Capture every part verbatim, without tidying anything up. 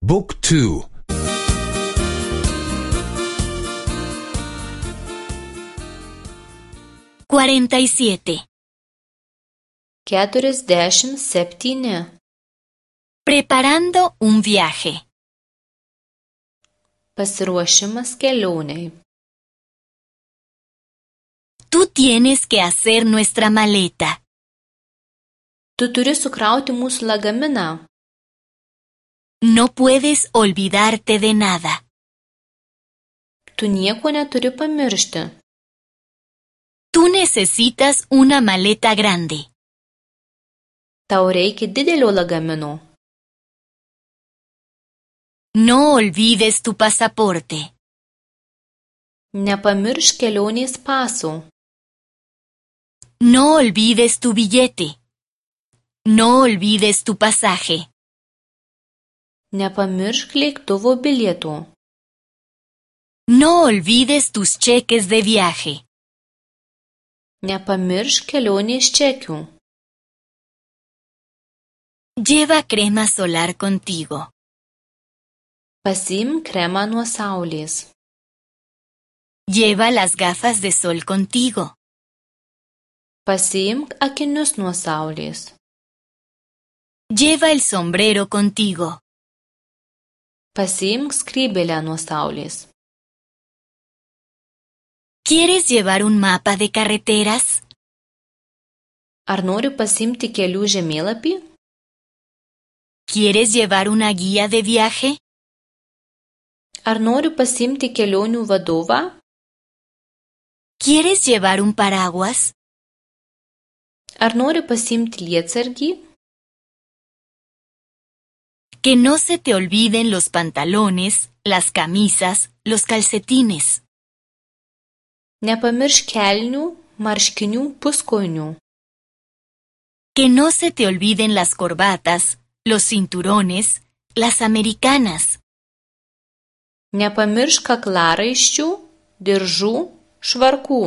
บุ๊กทู cuarenta y siete. keturiasdešimt septyni. Preparando un viaje. Pasiruošimas kelionei. Tú tienes que hacer nuestra maleta. Tu turi sukrauti mūsų lagaminą. No puedes olvidarte de nada. Tu nieko neturi pamiršti. Tú necesitas una maleta grande. Tau reikia didelio lagamino. No olvides tu pasaporte. Nepamiršk kelionės paso. No olvides tu billete. No olvides tu pasaje. Nepamiršk lėktuvo bilieto. No olvides tus cheques de viaje. Nepamiršk kelionės čekių. Lleva crema solar contigo. Pasiimk kremą nuo saulės. Lleva las gafas de sol contigo. Pasiimk akinius nuo saulės. Lleva el sombrero contigo. Pasiimk skrybėlę nuo saulės. ¿Quieres llevar un mapa de carreteras? Ar nori pasiimti kelių žemėlapį? ¿Quieres llevar una guía de viaje? Ar nori pasiimti kelionių vadovą? ¿Quieres llevar un paraguas? Ar nori pasiimti lietsargį? Que no se te olviden los pantalones, las camisas, los calcetines. Nepamiršk kelnių, marškinių, puskojinių. Que no se te olviden las corbatas, los cinturones, las americanas. Nepamiršk kaklaraiščių, diržų, švarkų.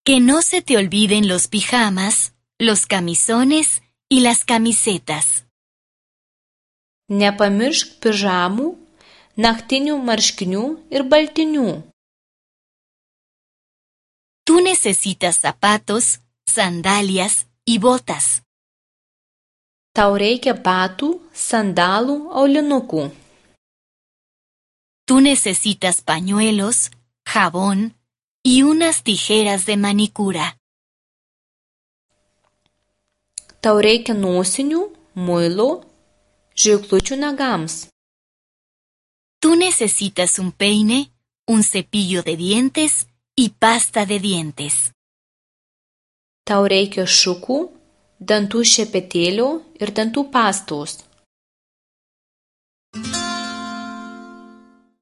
Que no se te olviden los pijamas, los camisones y las camisetas. Nepamiršk pižamų, naktinių marškinių ir baltinių. Tú necesitas zapatos, sandalias y botas. Tau reikia batų, sandalų, aulinukų. Tú necesitas pañuelos, jabón y unas tijeras de manicura. Tau reikia nosinių, muilo, žirklučių nagams. Tú necesitas un peine, un cepillo de dientes y pasta de dientes. Tau reikia šukų, dantų šepetėlio ir dantų pastos.